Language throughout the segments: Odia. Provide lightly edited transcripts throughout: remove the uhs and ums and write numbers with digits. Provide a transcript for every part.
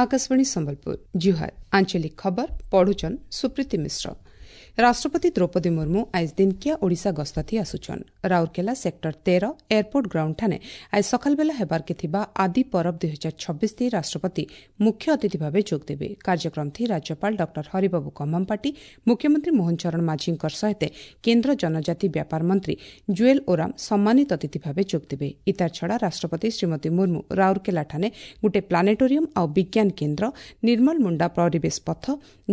ଆକାଶବାଣୀ ସମ୍ବଲପୁର, ଜୁହାର। ଆଞ୍ଚଳିକ ଖବର ପଢୁଛନ୍ ସୁପ୍ରୀତି ମିଶ୍ର। ରାଷ୍ଟ୍ରପତି ଦ୍ରୌପଦୀ ମୁର୍ମୁ ଆଇଜ ଦିନକିଆ ଓଡ଼ିଶା ଗସ୍ତଥି ଆସୁଛନ୍। ରାଉରକେଲା ସେକ୍ଟର 13 ଏୟାରପୋର୍ଟ ଗ୍ରାଉଣ୍ଡ ଠାନେ ଆଜି ସକାଳବେଲା ହେବାର୍କେ ଥିବା ଆଦି ପରବ 2026 ରାଷ୍ଟ୍ରପତି ମୁଖ୍ୟ ଅତିଥି ଭାବେ ଯୋଗଦେବେ। କାର୍ଯ୍ୟକ୍ରମଥି ରାଜ୍ୟପାଳ ଡକ୍ଟର ହରିବାବୁ କମ୍ଭମପାଟି, ମୁଖ୍ୟମନ୍ତ୍ରୀ ମୋହନ ଚରଣ ମାଝୀଙ୍କର ସହିତ କେନ୍ଦ୍ର ଜନଜାତି ବ୍ୟାପାର ମନ୍ତ୍ରୀ ଜୁଏଲ ଓରାମ ସମ୍ମାନିତ ଅତିଥି ଭାବେ ଯୋଗଦେବେ। ଇତାର ଛଡ଼ା ରାଷ୍ଟ୍ରପତି ଶ୍ରୀମତୀ ମୁର୍ମୁ ରାଉରକେଲାଠାନେ ଗୋଟିଏ ପ୍ଲାନେଟୋରିୟମ ଆଉ ବିଜ୍ଞାନ କେନ୍ଦ୍ର, ନିର୍ମଲ ମୁଣ୍ଡା ପରିବେଶ ପଥ,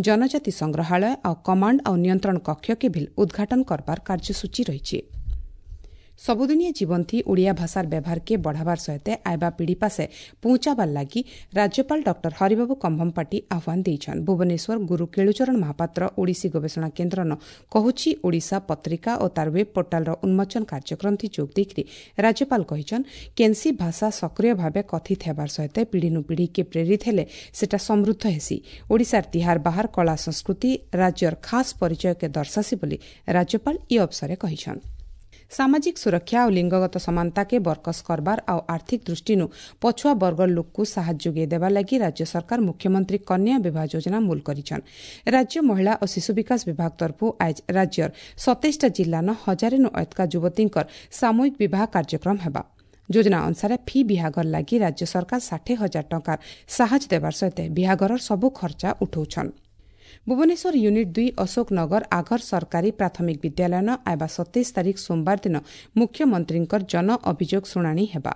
ଜନଜାତି ସଂଗ୍ରହାଳୟ ଆଉ କମାଣ୍ଡ ଆଉ ନିୟନ୍ତ୍ରଣ କକ୍ଷକେ ଭିଲ୍ ଉଦ୍ଘାଟନ କରବାର କାର୍ଯ୍ୟସୂଚୀ ରହିଛି। ସବୁଦିନିଆ ଜୀବନଥି ଓଡ଼ିଆ ଭାଷାର ବ୍ୟବହାରକେ ବଢ଼ାବାର ସହିତ ଆଇବା ପିଢ଼ି ପାସେ ପହଞ୍ଚାବାର ଲାଗି ରାଜ୍ୟପାଳ ଡକ୍ଟର ହରିବାବୁ କମ୍ଭମପାଟି ଆହ୍ୱାନ ଦେଇଛନ୍। ଭୁବନେଶ୍ୱର ଗୁରୁ କେଳୁଚରଣ ମହାପାତ୍ର ଓଡ଼ିଶୀ ଗବେଷଣା କେନ୍ଦ୍ରନ କହୁଛି ଓଡ଼ିଶା ପତ୍ରିକା ଓ ତାର ୱେବ୍ ପୋର୍ଟାଲର ଉନ୍ମୋଚନ କାର୍ଯ୍ୟକ୍ରମଥି ଯୋଗ ଦେଇକରି ରାଜ୍ୟପାଳ କହିଛନ୍, କେନ୍ସି ଭାଷା ସକ୍ରିୟ ଭାବେ କଥିତ ହେବାର ସହିତ ପିଢ଼ିନୁ ପିଢ଼ିକେ ପ୍ରେରିତ ହେଲେ ସେଟା ସମୃଦ୍ଧ ହେସି। ଓଡ଼ିଶାର ତିହାର ବାହାର କଳା ସଂସ୍କୃତି ରାଜ୍ୟର ଖାସ୍ ପରିଚୟକେ ଦର୍ଶାସି ବୋଲି ରାଜ୍ୟପାଳ ଇ ଅବସରେ କହିଛନ୍। ସାମାଜିକ ସୁରକ୍ଷା ଆଉ ଲିଙ୍ଗଗତ ସମାନତାକେ ବରକସ କରବାର ଆଉ ଆର୍ଥିକ ଦୃଷ୍ଟିନୁ ପଛୁଆ ବର୍ଗର ଲୋକକୁ ସାହାଯ୍ୟ ଯୋଗାଇ ଦେବା ଲାଗି ରାଜ୍ୟ ସରକାର ମୁଖ୍ୟମନ୍ତ୍ରୀ କନ୍ୟା ବିବାହ ଯୋଜନା ମୂଲ କରିଛନ୍। ରାଜ୍ୟ ମହିଳା ଓ ଶିଶୁ ବିକାଶ ବିଭାଗ ତରଫରୁ ଆଜ ରାଜ୍ୟର 27ଟା ଜିଲ୍ଲାନ ହଜାରେନୁ ଅତକା ଯୁବତୀଙ୍କର ସାମୂହିକ ବିବାହ କାର୍ଯ୍ୟକ୍ରମ ହେବା। ଯୋଜନା ଅନୁସାରେ ଫି ବିହାଘର ଲାଗି ରାଜ୍ୟ ସରକାର 60,000 ଟଙ୍କାର ସାହାଯ୍ୟ ଦେବାର ସହିତ ବିହାଘରର ସବୁ ଖର୍ଚ୍ଚା ଉଠାଉଛନ୍। ଭୁବନେଶ୍ୱର ୟୁନିଟ୍ 2 ଅଶୋକନଗର ଆଘର ସରକାରୀ ପ୍ରାଥମିକ ବିଦ୍ୟାଳୟନ ଆଇବା 27 ତାରିଖ ସୋମବାର ଦିନ ମୁଖ୍ୟମନ୍ତ୍ରୀଙ୍କର ଜନ ଅଭିଯୋଗ ଶୁଣାଣି ହେବା।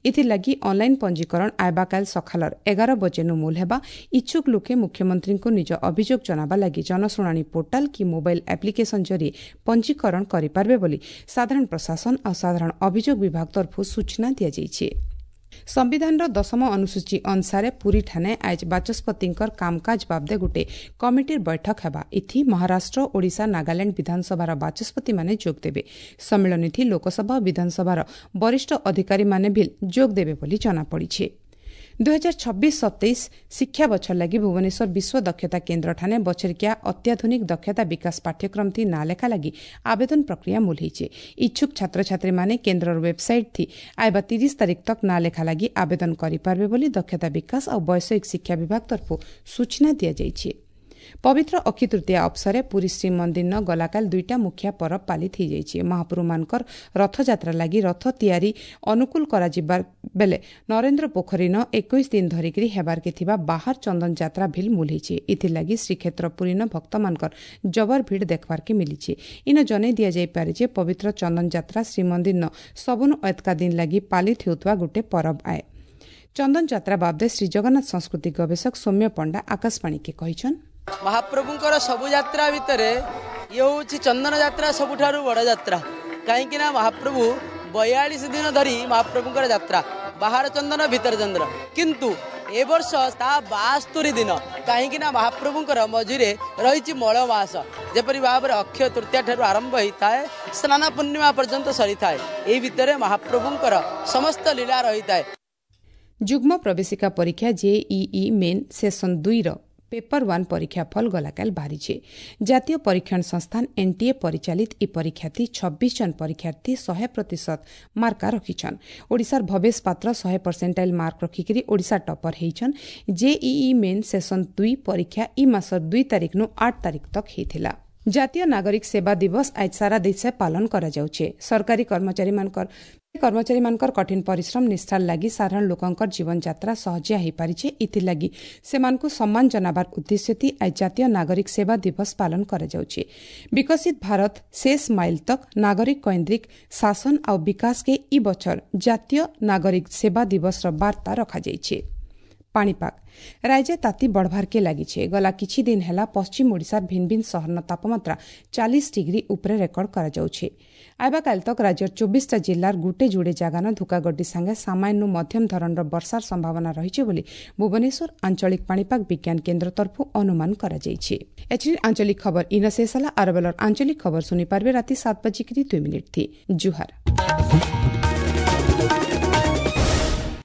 ଏଥିଲାଗି ଅନ୍ଲାଇନ୍ ପଞ୍ଜୀକରଣ ଆଇବାକାଲ ସକାଳର 11 ବଜେନୁ ମୂଲ ହେବା। ଇଚ୍ଛୁକ ଲୋକେ ମୁଖ୍ୟମନ୍ତ୍ରୀଙ୍କୁ ନିଜ ଅଭିଯୋଗ ଜଣାବା ଲାଗି ଜନଶୁଣାଣି ପୋର୍ଟାଲ କି ମୋବାଇଲ ଆପ୍ଲିକେସନ ଜରିଏ ପଞ୍ଜୀକରଣ କରିପାରିବେ ବୋଲି ସାଧାରଣ ପ୍ରଶାସନ ଆଉ ସାଧାରଣ ଅଭିଯୋଗ ବିଭାଗ ତରଫରୁ ସୂଚନା ଦିଆଯାଇଛି। ସମ୍ବିଧାନର ଦଶମ ଅନୁସୂଚୀ ଅନୁସାରେ ପୁରୀଠାନେ ଆଜ ବାଚସ୍ପତିଙ୍କର କାମକାଜ ବାବଦେ ଗୋଟେ କମିଟିର ବୈଠକ ହେବା। ଏଥି ମହାରାଷ୍ଟ୍ର, ଓଡ଼ିଶା, ନାଗାଲାଣ୍ଡ ବିଧାନସଭାର ବାଚସ୍ପତିମାନେ ଯୋଗଦେବେ। ସମ୍ମିଳନୀଥି ଲୋକସଭା ଓ ବିଧାନସଭାର ବରିଷ୍ଠ ଅଧିକାରୀମାନେ ବି ଯୋଗଦେବେ ବୋଲି ଜଣାପଡ଼ିଛି। 2026-27 ଶିକ୍ଷା ବଛର ଲାଗି ଭୁବନେଶ୍ୱର ବିଶ୍ୱ ଦକ୍ଷତା କେନ୍ଦ୍ରଠାନେ ବଛରିକିଆ ଅତ୍ୟାଧୁନିକ ଦକ୍ଷତା ବିକାଶ ପାଠ୍ୟକ୍ରମଥି ନାଁ ଲେଖା ଲାଗି ଆବେଦନ ପ୍ରକ୍ରିୟା ମୂଲ ହେଇছে। ଇଚ୍ଛୁକ ଛାତ୍ରଛାତ୍ରୀମାନେ କେନ୍ଦ୍ରର ୱେବସାଇଟ୍ ଥି ଆଇବା 30 ତାରିଖ ତକ୍ ନାଁ ଲେଖା ଲାଗି ଆବେଦନ କରିପାରିବେ ବୋଲି ଦକ୍ଷତା ବିକାଶ ଆଉ ବୈଷୟିକ ଶିକ୍ଷା ବିଭାଗ ତରଫରୁ ସୂଚନା ଦିଆଯାଇଛି। ପବିତ୍ର ଅକ୍ଷି ତୃତୀୟା ଅବସରେ ପୁରୀ ଶ୍ରୀମନ୍ଦିରନ ଗଲାକାଲ ଦୁଇଟା ମୁଖିଆ ପରବ ପାଳିତ ହୋଇଯାଇଛି। ମହାପ୍ରଭୁମାନଙ୍କର ରଥଯାତ୍ରା ଲାଗି ରଥ ତିଆରି ଅନୁକୂଳ କରାଯିବା ବେଲେ ନରେନ୍ଦ୍ର ପୋଖରୀନ 21 ଦିନ ଧରିକିରି ହେବାର୍କେ ଥିବା ବାହାର ଚନ୍ଦନ ଯାତ୍ରା ଭିଲ୍ ମୂଲ ହେଇଛି। ଏଥିଲାଗି ଶ୍ରୀକ୍ଷେତ୍ର ପୁରୀନ ଭକ୍ତମାନଙ୍କର ଜବର ଭିଡ଼ ଦେଖବାର୍କେ ମିଲିଛି। ଇନ ଜଣେଇ ଦିଆଯାଇପାରେ ଯେ ପବିତ୍ର ଚନ୍ଦନ ଯାତ୍ରା ଶ୍ରୀମନ୍ଦିରନ ସବୁନୁ ଏତକା ଦିନ ଲାଗି ପାଳିତ ହେଉଥିବା ଗୋଟେ ପରବ ଆଏ। ଚନ୍ଦନ ଯାତ୍ରା ବାବଦେ ଶ୍ରୀଜଗନ୍ନାଥ ସଂସ୍କୃତି ଗବେଷକ ସୌମ୍ୟ ପଣ୍ଡା ଆକାଶବାଣୀକେ କହିଛନ୍, ମହାପ୍ରଭୁଙ୍କର ସବୁ ଯାତ୍ରା ଭିତରେ ଇଏ ହେଉଛି ଚନ୍ଦନ ଯାତ୍ରା ସବୁଠାରୁ ବଡ଼ ଯାତ୍ରା। କାହିଁକି ନା ମହାପ୍ରଭୁ 42 ଦିନ ଧରି ମହାପ୍ରଭୁଙ୍କର ଯାତ୍ରା, ବାହାର ଚନ୍ଦନ ଭିତର ଚନ୍ଦନ। କିନ୍ତୁ ଏ ବର୍ଷ ତା 72 ଦିନ, କାହିଁକି ନା ମହାପ୍ରଭୁଙ୍କର ମଝିରେ ରହିଛି ମଳ ମାସ। ଯେପରି ଭାବରେ ଅକ୍ଷୟ ତୃତୀୟା ଠାରୁ ଆରମ୍ଭ ହୋଇଥାଏ, ସ୍ନାନ ପୂର୍ଣ୍ଣିମା ପର୍ଯ୍ୟନ୍ତ ସରିଥାଏ, ଏଇ ଭିତରେ ମହାପ୍ରଭୁଙ୍କର ସମସ୍ତ ଲୀଳା ରହିଥାଏ। ଯୁଗ୍ମ ପ୍ରବେଶିକା ପରୀକ୍ଷା ଜେଇଇ ମେନ୍ ସେସନ 2ର ପେପର 1 ପରୀକ୍ଷା ଫଳ ଗଲାକାଲ ବାହାରିছে। ଜାତୀୟ ପରୀକ୍ଷଣ ସଂସ୍ଥାନ ଏନ୍ଟିଏ ପରିଚାଳିତ ଇ ପରୀକ୍ଷାଥି 26 ଜଣ ପରୀକ୍ଷାର୍ଥୀ 100% ମାର୍କା ରଖିଛନ୍। ଓଡ଼ିଶାର ଭବେଶ ପାତ୍ର 100 ପରସେଣ୍ଟାଇଲ ମାର୍କ ରଖିକରି ଓଡ଼ିଶା ଟପର ହେଇଛନ୍। ଜେଇଇ ମେନ୍ ସେସନ 2 ପରୀକ୍ଷା ଇ ମାସର 2 ତାରିଖନୁ 8 ତାରିଖ ତକ୍ ହେଇଥିଲା। ଜାତୀୟ ନାଗରିକ ସେବା ଦିବସ ଆଜ ସାରା ଦେଶେ ପାଳନ କରାଯାଉଛେ। ସରକାରୀ କର୍ମଚାରୀମାନଙ୍କର କଠିନ ପରିଶ୍ରମ ନିଷ୍ଠାର ଲାଗି ସାଧାରଣ ଲୋକଙ୍କର ଜୀବନଯାତ୍ରା ସହଜିଆ ହୋଇପାରିছে। ଏଥିଲାଗି ସେମାନଙ୍କୁ ସମ୍ମାନ ଜଣାବାର ଉଦ୍ଦେଶ୍ୟ ଆଜ ଜାତୀୟ ନାଗରିକ ସେବା ଦିବସ ପାଳନ କରାଯାଉଛି। ବିକଶିତ ଭାରତ ଶେଷ ମାଇଲ ତକ୍ ନାଗରିକ କୈନ୍ଦ୍ରିକ ଶାସନ ଆଉ ବିକାଶକେ ଇ ବଛର ଜାତୀୟ ନାଗରିକ ସେବା ଦିବସର ବାର୍ତ୍ତା ରଖାଯାଇଛି। ପାଣିପାଗ, ରାଜ୍ୟ ତାତି ବଢ଼ବାର୍କେ ଲାଗିছে। ଗଲା କିଛି ଦିନ ହେଲା ପଶ୍ଚିମ ଓଡ଼ିଶାର ଭିନ୍ନ ଭିନ୍ନ ସହରର ତାପମାତ୍ରା 40 ଡିଗ୍ରୀ ଉପରେ ରେକର୍ଡ କରାଯାଉଛି। ଆଇବାକାଲ ତକ୍ ରାଜ୍ୟର 24ଟା ଜିଲ୍ଲାର ଗୁଟେ ଯୁଡ଼େ ଜାଗାନ ଧୁକାଗడ్ଡି ସାଙ୍ଗେ ସାମାନ୍ୟରୁ ମଧ୍ୟମ ଧରଣର ବର୍ଷାର ସମ୍ଭାବନା ରହିଛି ବୋଲି ଭୁବନେଶ୍ୱର ଆଞ୍ଚଳିକ ପାଣିପାଗ ବିଜ୍ଞାନ କେନ୍ଦ୍ର ତରଫରୁ ଅନୁମାନ କରାଯାଇଛି। ଏଥିରେ ଆଞ୍ଚଳିକ ଖବର ଇନ ଶେଷ ହେଲା। ଆରବେଲର ଆଞ୍ଚଳିକ ଖବର ଶୁଣିପାରିବେ ରାତି 7 ବାଜିକିରି 2 ମିନିଟ୍ ଥି। ଜୁହାର।